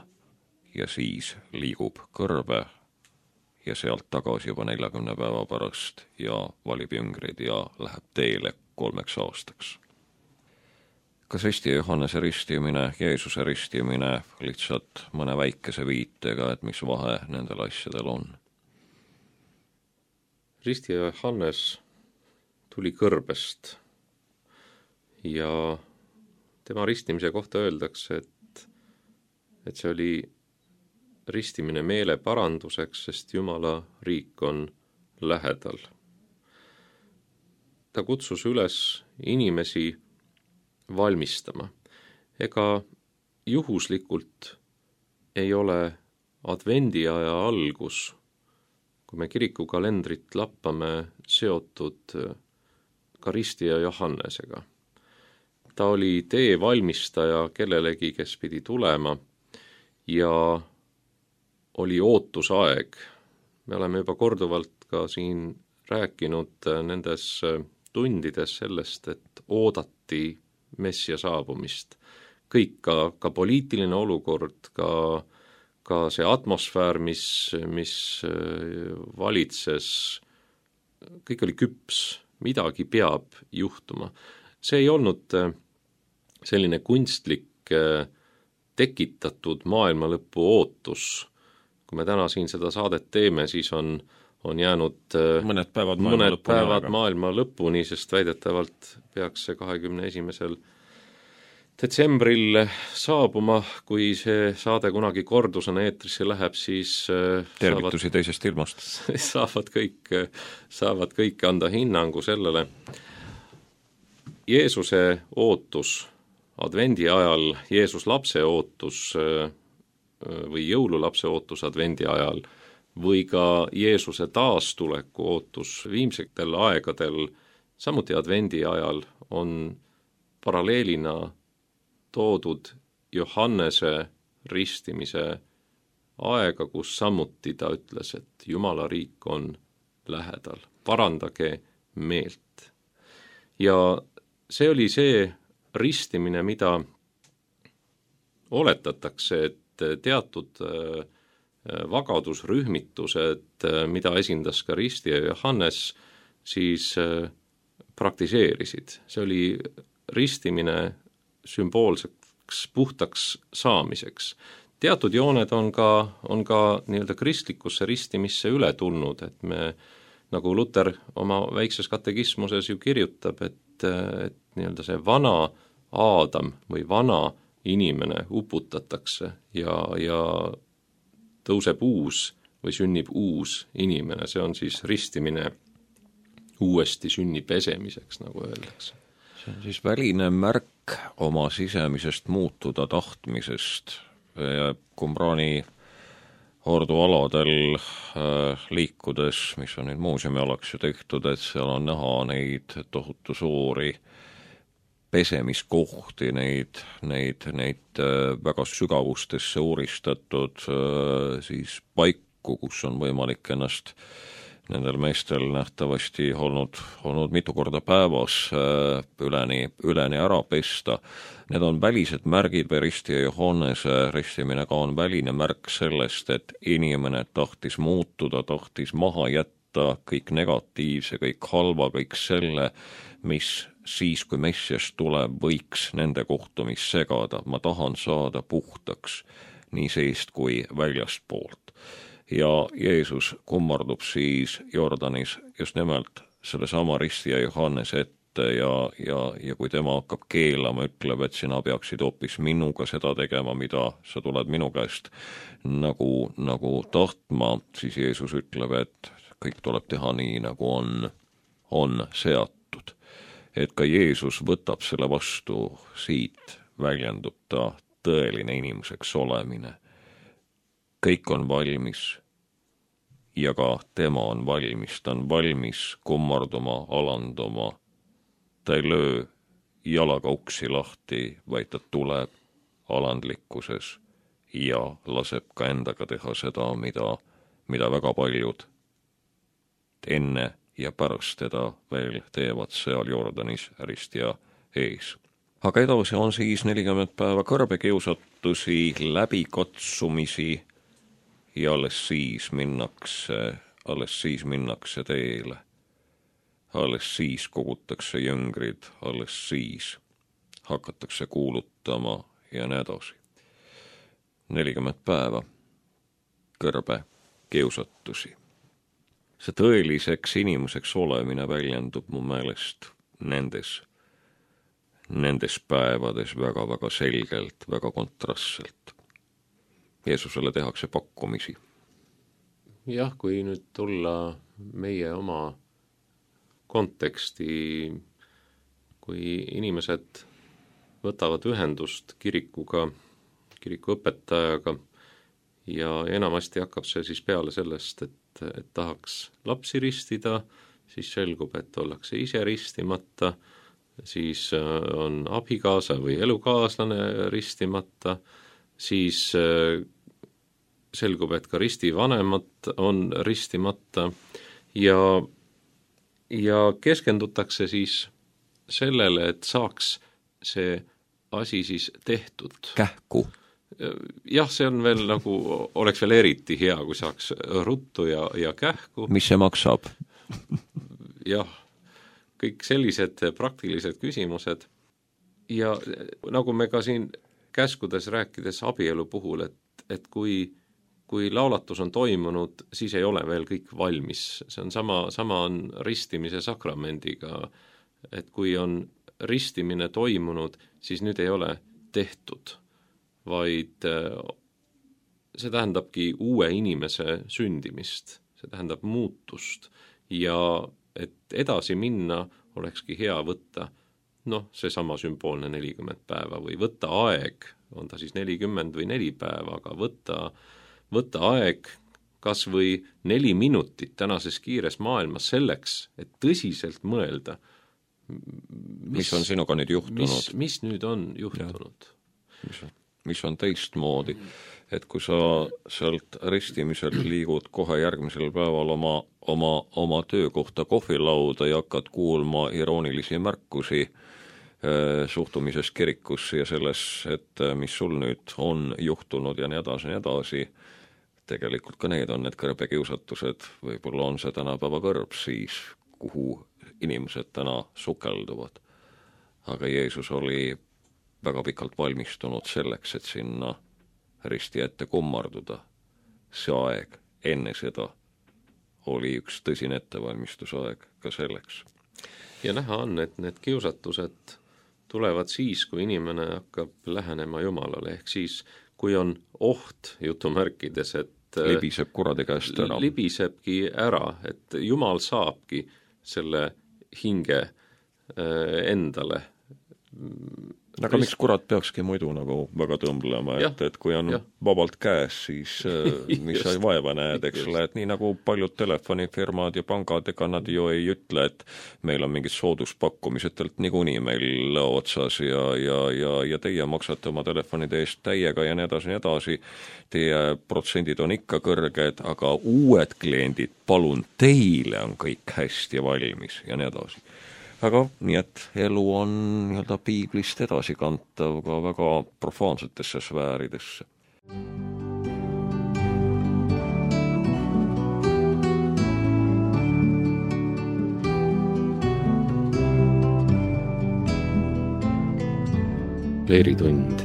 ja siis liigub kõrbe ja sealt tagasi juba 40 päeva pärast ja valib jüngrid ja läheb teele 3 aastaks. Kas ristija Johannese ristimine, Jeesuse ristimine lihtsalt mõne väikese viitega, et mis vahe nendel asjadel on? Ristija Johannes tuli kõrbest ja tema ristimise kohta öeldakse, et see oli ristimine meele paranduseks, sest Jumala riik on lähedal. Ta kutsus üles inimesi valmistama. Ega juhuslikult ei ole advendiaja algus, kui me kirikukalendrit lappame, seotud ka ristija Johannesega. Ta oli tee valmistaja kellelegi, kes pidi tulema ja oli ootusaeg. Me oleme juba korduvalt ka siin rääkinud nendes tundides sellest, et oodati messia saabumist. Kõik, ka poliitiline olukord, ka see atmosfäär, mis valitses, kõik oli küps, midagi peab juhtuma. See ei olnud selline kunstlik tekitatud maailma lõpu ootus. Kui me täna siin seda saadet teeme, siis on jäänud mõned päevad maailma lõpuni, sest väidetavalt peaks see 21. detsembril saabuma, kui see saade kunagi kordusena eetrisse läheb, siis tervitusi teisest ilmast. saavad kõik anda hinnangu sellele. Jeesuse ootus advendi ajal, Jeesus lapse ootus või jõululapse ootus advendi ajal või ka Jeesuse taastuleku ootus viimsetel aegadel, samuti advendi ajal, on paralleelina toodud Johannese ristimise aega, kus samuti ta ütles, et Jumala riik on lähedal, parandage meelt. Ja see oli see ristimine, mida oletatakse, et teatud vagadusrühmitused, mida esindas ka ristija Johannes, siis praktiseerisid. See oli ristimine sümboolseks puhtaks saamiseks. Teatud jooned on ka nii-öelda kristlikusse ristimisse üle tulnud, et me, nagu Luter oma väikses katekismuses ju kirjutab, et nii-öelda see vana Aadam või vana inimene uputatakse ja tõuseb uus või sünnib uus inimene, see on siis ristimine uuesti sünni pesemiseks, nagu öeldakse. See on siis väline märk oma sisemisest muutuda tahtmisest. Qumrani ordualadel liikudes, mis on nüüd muuseumialaks ju tehtud, et seal on näha neid tohutu suuri pesemiskohti, neid väga sügavustesse uuristatud siis paiku, kus on võimalik ennast nendel meestel nähtavasti olnud mitu korda päevas üleni ära pesta. Need on välised märgid või ristija Johannese ristimine ka on väline märk sellest, et inimene tahtis muutuda, tahtis maha jätta kõik negatiivse, kõik halva, kõik selle, mis siis, kui Messias tuleb, võiks nende kohtumist segada. Ma tahan saada puhtaks nii seest kui väljast poolt. Ja Jeesus kummardub siis Jordanis just nimelt selle sama ristija Johannese ette ja kui tema hakkab keelama, ütleb, et sina peaksid hoopis minuga seda tegema, mida sa tuled minu käest nagu tahtma, siis Jeesus ütleb, et kõik tuleb teha nii, nagu on seatud. Et ka Jeesus võtab selle vastu, siit väljendub ta tõeline inimeseks olemine. Kõik on valmis ja ka tema on valmis, ta on valmis kummarduma, alanduma. Ta ei löö jalaga uksi lahti, vaid ta tuleb alandlikkuses ja laseb ka endaga teha seda, mida väga paljud enne ja pärast teda veel teevad seal Jordanis ristja ees. Aga edasi on siis 40 päeva kõrbekiusatusi, läbikatsumisi ja alles siis minnakse teele. Alles siis kogutakse jüngrid, alles siis hakatakse kuulutama ja nii edasi. 40 päeva kõrbekiusatusi. See tõeliseks inimeseks olemine väljendub mu meelest nendes päevades väga-väga selgelt, väga kontrastselt. Jeesusele tehakse pakkumisi. Jah, kui nüüd tulla meie oma konteksti, kui inimesed võtavad ühendust kirikuga, kiriku õpetajaga ja enamasti hakkab see siis peale sellest, et tahaks lapsi ristida, siis selgub, et ollakse ise ristimata, siis on abikaasa või elukaaslane ristimata, siis selgub, et ka ristivanemad on ristimata ja keskendutakse siis sellele, et saaks see asi siis tehtud. Kähku. Jah, see on veel nagu, oleks veel eriti hea, kui saaks ruttu ja kähku. Mis see maksab? Jah, kõik sellised praktilised küsimused. Ja nagu me ka siin käskudes rääkides abielu puhul, et kui laulatus on toimunud, siis ei ole veel kõik valmis. See on sama on ristimise sakramendiga, et kui on ristimine toimunud, siis nüüd ei ole tehtud, vaid see tähendabki uue inimese sündimist, see tähendab muutust ja et edasi minna, olekski hea võtta seesama sümboolne 40 päeva või võtta aeg, on ta siis 40 või 4 päeva, aga võtta aeg kas või 4 minutit tänases kiires maailmas selleks, et tõsiselt mõelda, mis on sinuga nüüd juhtunud? Mis nüüd on juhtunud? Mis on teistmoodi, et kui sa sealt ristimiselt liigud kohe järgmisel päeval oma töökohta kohvilauda ja hakkad kuulma iroonilisi märkusi suhtumisest kirikusse ja selles, et mis sul nüüd on juhtunud ja nii edasi, tegelikult ka need on need kõrbekiusatused, võib-olla on see tänapäeva kõrb siis, kuhu inimesed täna sukelduvad. Aga Jeesus oli väga pikalt valmistunud selleks, et sinna risti ette kummarduda. See aeg enne seda oli üks tõsine ettevalmistusaeg ka selleks. Ja näha on, et need kiusatused tulevad siis, kui inimene hakkab lähenema Jumalale, ehk siis, kui on oht jutumärkides, et libiseb kuradi käest ära. Libisebki ära, et Jumal saabki selle hinge endale. Aga miks kurat peakski muidu nagu väga tõmblema, et kui on vabalt käes, siis mis sa vaeva näed, eks ole, et nii nagu paljud telefonifirmad ja pangad, ega nad ju ei ütle, et meil on mingid sooduspakkumisetelt niikuinii meil otsas ja teie maksate oma telefonide eest täiega ja nii edasi, teie protsendid on ikka kõrged, aga uued kliendid, palun, teile on kõik hästi valmis ja nii edasi. Aga nii, et elu on nii-öelda piiblist edasikantav ka väga profaansetesse sfääridesse. Leeritund.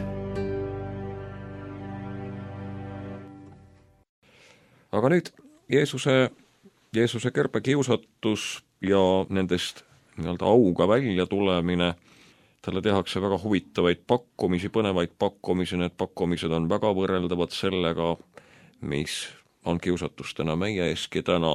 Aga nüüd Jeesuse kerbekiusatus ja nendest nii-öelda auga välja tulemine, talle tehakse väga huvitavaid pakkumisi, põnevaid pakkumisi, need pakkumised on väga võrreldavad sellega, mis on kiusatustena meie eeski täna.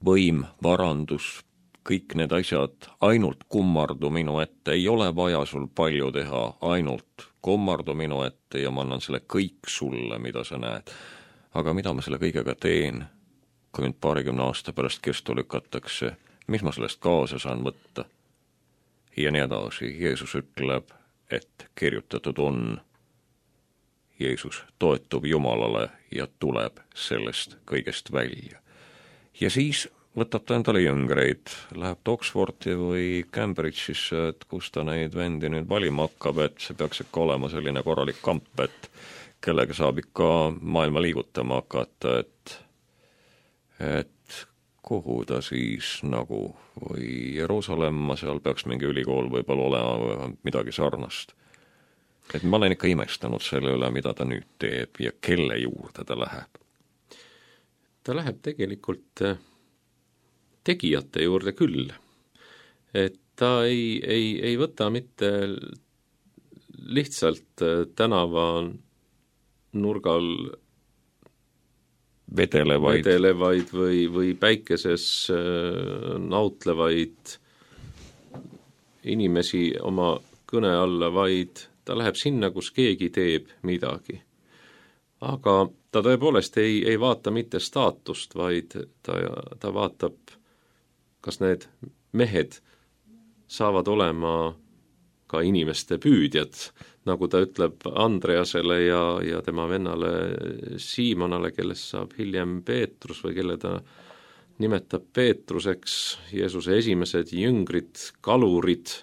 Võim, varandus, kõik need asjad, ainult kummardu minu ette, ei ole vaja sul palju teha, ainult kummardu minu ette ja ma annan selle kõik sulle, mida sa näed. Aga mida ma selle kõigega teen, kui mind 20 aasta pärast kestu lükatakse, mis ma sellest kaasa saan võtta? Ja nii edasi. Jeesus ütleb, et kirjutatud on. Jeesus toetub Jumalale ja tuleb sellest kõigest välja. Ja siis võtab ta endale jüngreid, läheb Oxfordi või Cambridge'isse, et kus ta neid vendi nüüd valima hakkab, et see peaks ikka olema selline korralik kamp, et kellega saab ikka maailma liigutama hakata, et kuhu ta siis nagu või Jeruusalemma, seal peaks mingi ülikool võib-olla olema või midagi sarnast. Et ma olen ikka imestanud selle üle, mida ta nüüd teeb ja kelle juurde ta läheb. Ta läheb tegelikult tegijate juurde küll. Et ta ei võta mitte lihtsalt tänava nurgal vedelevaid või päikeses nautlevaid inimesi oma kõne alla, vaid ta läheb sinna, kus keegi teeb midagi. Aga ta tõepoolest ei vaata mitte staatust, vaid ta vaatab, kas need mehed saavad olema ka inimeste püüdjad, nagu ta ütleb Andreasele ja tema vennale Siimonale, kellest saab hiljem Peetrus või kelle ta nimetab Peetruseks, Jeesuse esimesed jüngrid, kalurid,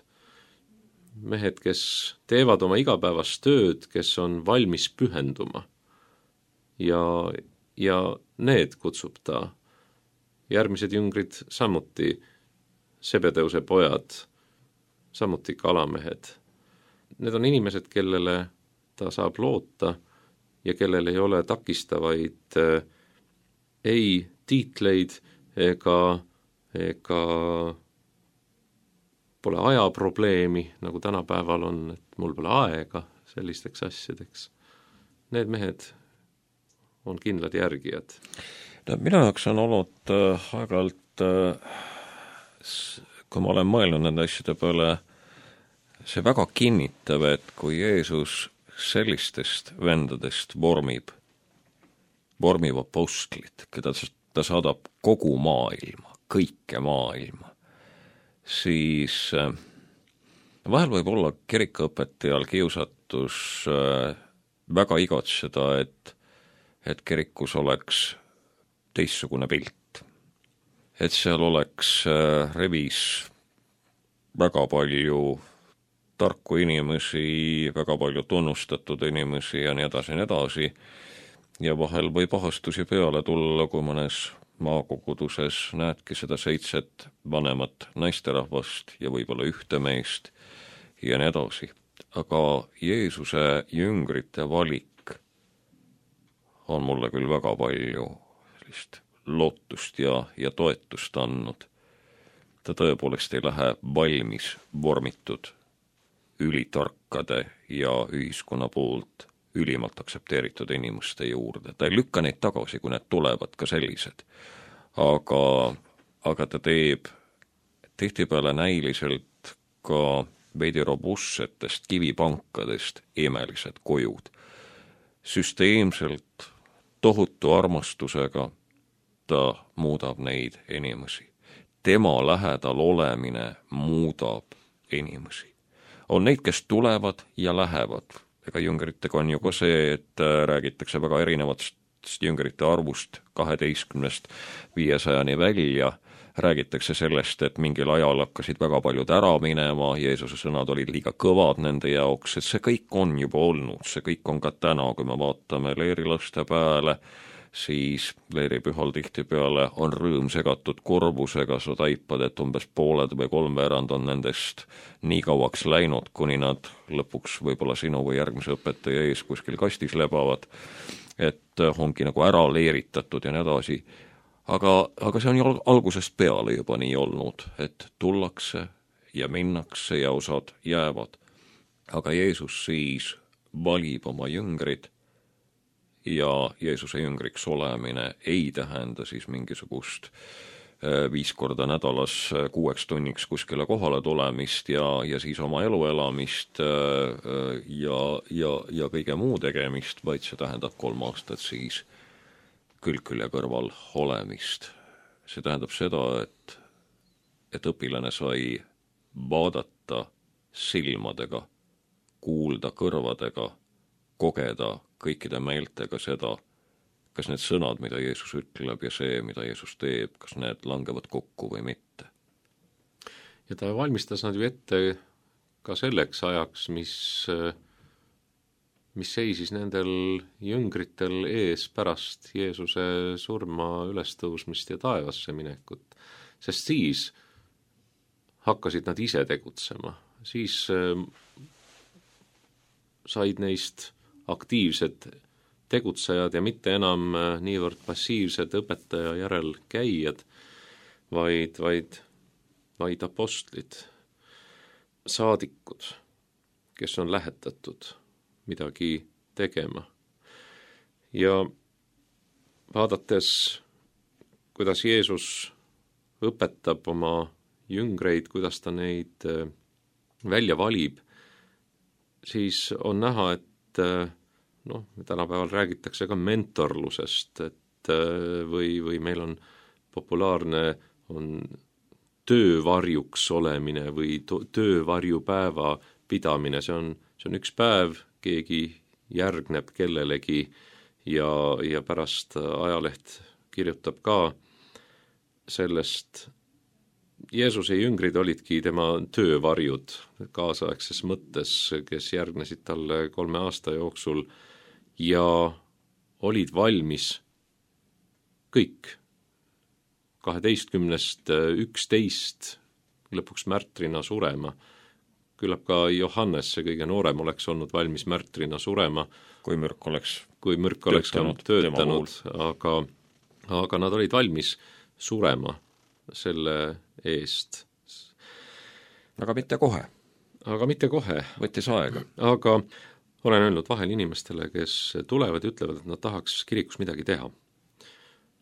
mehed, kes teevad oma igapäevast tööd, kes on valmis pühenduma. Ja need kutsub ta. Järgmised jüngrid samuti, Sebedeuse pojad, samuti kalamehed. Need on inimesed, kellele ta saab loota ja kellel ei ole takistavaid ei tiitleid ega pole ajaprobleemi, nagu tänapäeval on, et mul pole aega sellisteks asjadeks. Need mehed on kindlad järgijad. No, minu jaoks on olnud aeg-ajalt, kui ma olen mõelnud nende asjade peale, see väga kinnitav, et kui Jeesus sellistest vendadest vormib apostlit, keda ta saadab kogu maailma, kõike maailma, siis vahel võib olla kirikuõpetajal kiusatus väga igatseda, et kirikus oleks teistsugune pilt. Et seal oleks revis väga palju tarku inimesi, väga palju tunnustatud inimesi ja nii edasi, ja vahel või pahastusi peale tulla, kui mõnes maakoguduses näedki seda 7 vanemat naisterahvast ja võib-olla 1 meest ja nii edasi. Aga Jeesuse jüngrite valik on mulle küll väga palju sellist lootust ja toetust andnud. Ta tõepoolest ei lähe valmis vormitud ülitarkade ja ühiskonna poolt ülimalt aktsepteeritud inimeste juurde. Ta ei lükka neid tagasi, kui need tulevad ka sellised. Aga ta teeb tihtipeale näiliselt ka veidi robustsetest kivipankadest imelised kojud. Süsteemselt, tohutu armastusega ta muudab neid inimesi. Tema lähedal olemine muudab inimesi. On neid, kes tulevad ja lähevad. Ega jüngritega on ju ka see, et räägitakse väga erinevatest jüngrite arvust 12-st 500 välja. Räägitakse sellest, et mingil ajal hakkasid väga paljud ära minema, Jeesuse sõnad olid liiga kõvad nende jaoks, et see kõik on juba olnud, see kõik on ka täna, kui me vaatame leerilaste peale, siis leeripühal tihtipeale on rõõm segatud kurbusega, sa taipad, et umbes pooled või 3/4 on nendest nii kauaks läinud, kuni nad lõpuks võib-olla sinu või järgmise õpetaja ees kuskil kastis lebavad, et ongi nagu ära leeritatud ja nii edasi. Aga see on ju algusest peale juba nii olnud, et tullakse ja minnakse ja osad jäävad. Aga Jeesus siis valib oma jüngrid ja Jeesuse jüngriks olemine ei tähenda siis mingisugust 5 korda nädalas 6 tunniks kuskile kohale tulemist ja siis oma elu elamist ja kõige muu tegemist, vaid see tähendab 3 aastat siis külg külje kõrval olemist. See tähendab seda, et õpilane sai vaadata silmadega, kuulda kõrvadega, kogeda kõikide meeltega seda, kas need sõnad, mida Jeesus ütleb ja see, mida Jeesus teeb, kas need langevad kokku või mitte. Ja ta valmistas nad ju ette ka selleks ajaks, mis seisis nendel jüngritel ees pärast Jeesuse surma, ülestõusmist ja taevasse minekut. Sest siis hakkasid nad ise tegutsema. Siis said neist aktiivsed tegutsejad ja mitte enam niivõrd passiivsed õpetaja järel käijad, vaid apostlid, saadikud, kes on lähetatud midagi tegema. Ja vaadates, kuidas Jeesus õpetab oma jüngreid, kuidas ta neid välja valib, siis on näha, et tänapäeval räägitakse ka mentorlusest, et või meil on populaarne on töövarjuks olemine või töövarjupäeva pidamine, see on üks päev, keegi järgneb kellelegi ja pärast ajaleht kirjutab ka sellest. Jeesuse jüngrid olidki tema töövarjud kaasaegses mõttes, kes järgnesid talle 3 aasta jooksul ja olid valmis kõik 12-st 11 lõpuks märtrina surema. küllap ka Johannes, see kõige noorem, oleks olnud valmis märtrina surema, kui mürk oleks töötanud, aga nad olid valmis surema selle eest. Aga mitte kohe. Võttis aega. Aga olen öelnud vahel inimestele, kes tulevad ja ütlevad, et nad tahaks kirikus midagi teha.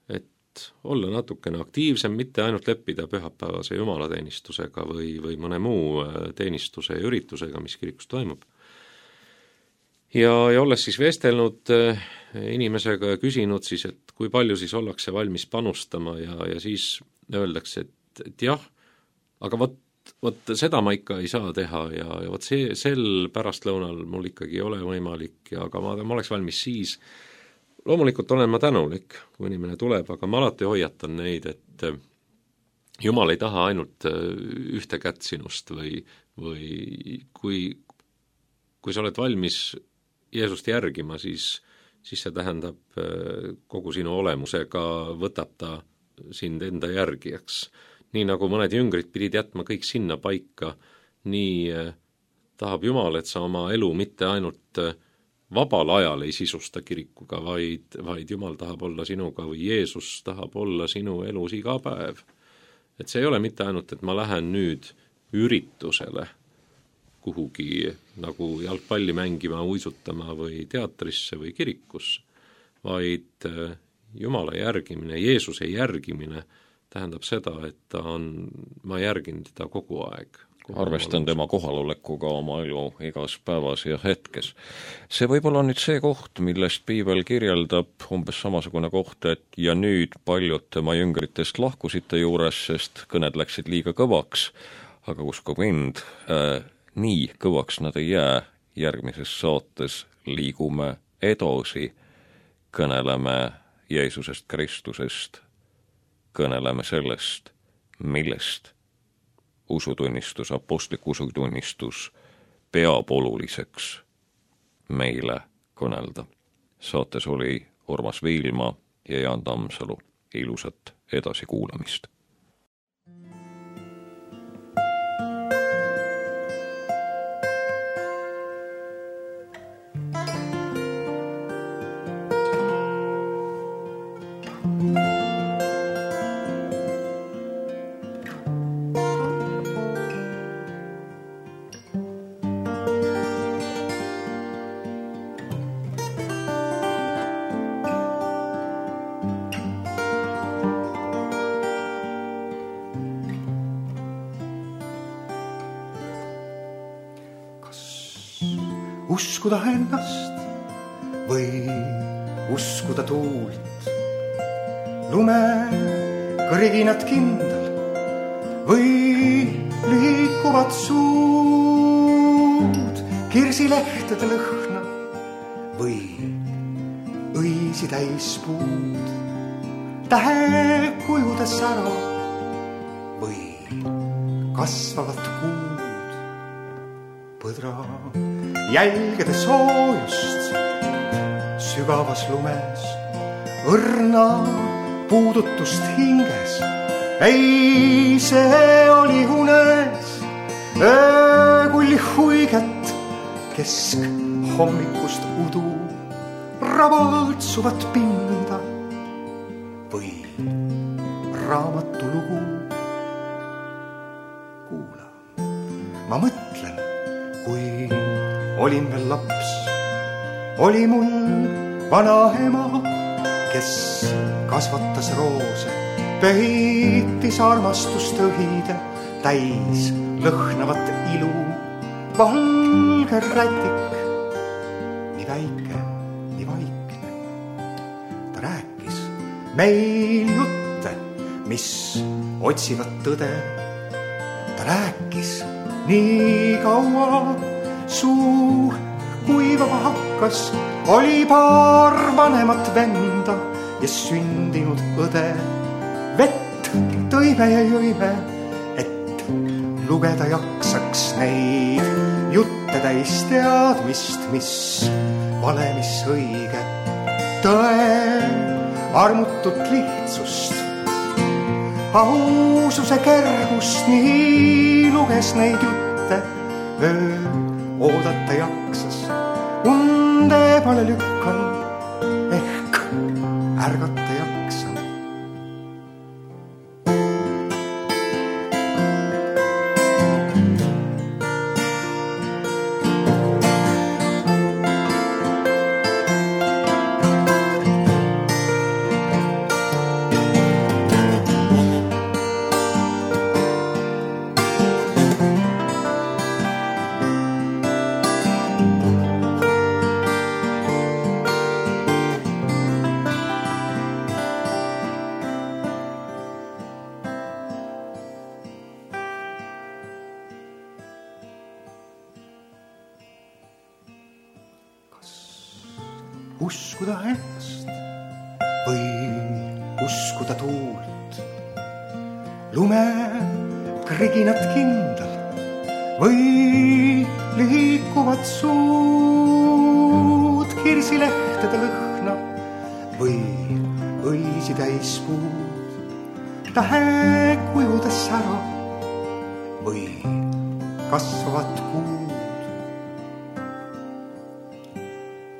Et olla natukene aktiivsem, mitte ainult leppida pühapäevase jumalateenistusega või mõne muu teenistuse ja üritusega, mis kirikus toimub. Ja olles siis vestelnud inimesega ja küsinud siis, et kui palju siis ollakse valmis panustama ja siis öeldakse, et jah, aga vot seda ma ikka ei saa teha ja vot sel pärastlõunal mul ikkagi ei ole võimalik, aga ma oleks valmis siis. Loomulikult olen ma tänulik, kui inimene tuleb, aga ma alati hoiatan neid, et Jumal ei taha ainult ühte kätt sinust või kui sa oled valmis Jeesust järgima, siis see tähendab kogu sinu olemusega võtab ta sind enda järgijaks. Nii nagu mõned jüngrid pidid jätma kõik sinna paika, nii tahab Jumal, et sa oma elu mitte ainult vabal ajal ei sisusta kirikuga, vaid Jumal tahab olla sinuga või Jeesus tahab olla sinu elus iga päev. Et see ei ole mitte ainult, et ma lähen nüüd üritusele kuhugi nagu jalgpalli mängima, uisutama või teatrisse või kirikusse, vaid Jumala järgimine, Jeesuse järgimine tähendab seda, et ma järgin teda kogu aeg. Arvestan tema kohalolekuga oma elu igas päevas ja hetkes. See võib olla nüüd see koht, millest Piibel kirjeldab umbes samasugune koht, et ja nüüd paljud tema jüngritest lahkusite juures, sest kõned läksid liiga kõvaks, aga usku mind, nii kõvaks nad ei jää. Järgmises saates liigume edasi, kõneleme Jeesusest Kristusest, kõneleme sellest, millest usutunnistus, apostlik usutunnistus peab oluliseks meile kõnelda. Saates oli Urmas Viilma ja Jaan Tammsalu. Ilusat edasikuulamist. Uskuda ennast või uskuda tuult, lume kõriginat kindel või liikuvad suud, kirsilehtede lõhna või õisi täis puud, tähekujude sära või kasvavat kuud, põdra jälgede soojust sügavas lumes, õrna puudutust hinges. Ei, see oli unes öökulli huiget kesk hommikust udu ravaltsuvat pinda või raamatulugu. Kuula, ma mõtlen, kui olin veel laps, oli mul vana ema, kes kasvatas roose, peitis armastust õhide, täis lõhnavat ilu, valge rätik, nii väike, nii vaikne. Ta rääkis meil jutte, mis otsivad tõde. Ta rääkis nii kaua, suu kuivama hakkas, oli paar vanemat venda ja sündinud õde. Vett tõime ja jõime, et lugeda jaksaks neid jutte täis teadmist, mis vale, mis õige. Tõe armutut lihtsust, aususe kergust, nii luges neid jutte öö oodata jaksas. Unde pale lükkan, ehk ärgata jaksan. Uskuda ennast või uskuda tuult, lume kriginat kindel või liikuvat suud, kirsilehtede lõhna või õisi täis puud, tähekujudes sära või kasvavat kuud.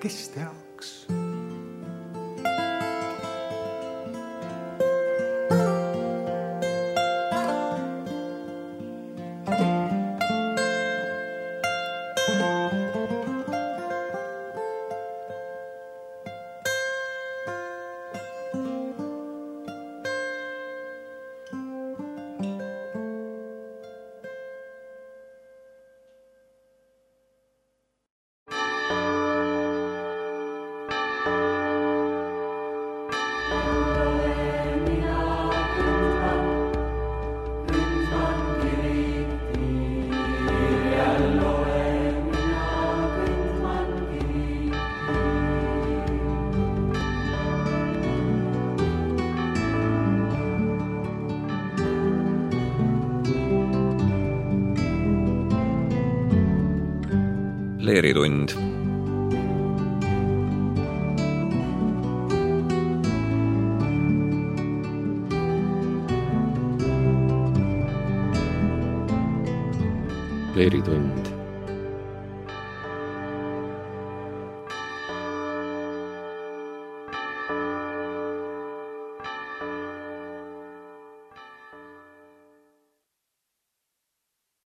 Kes teaks? Leeritund. Leeritund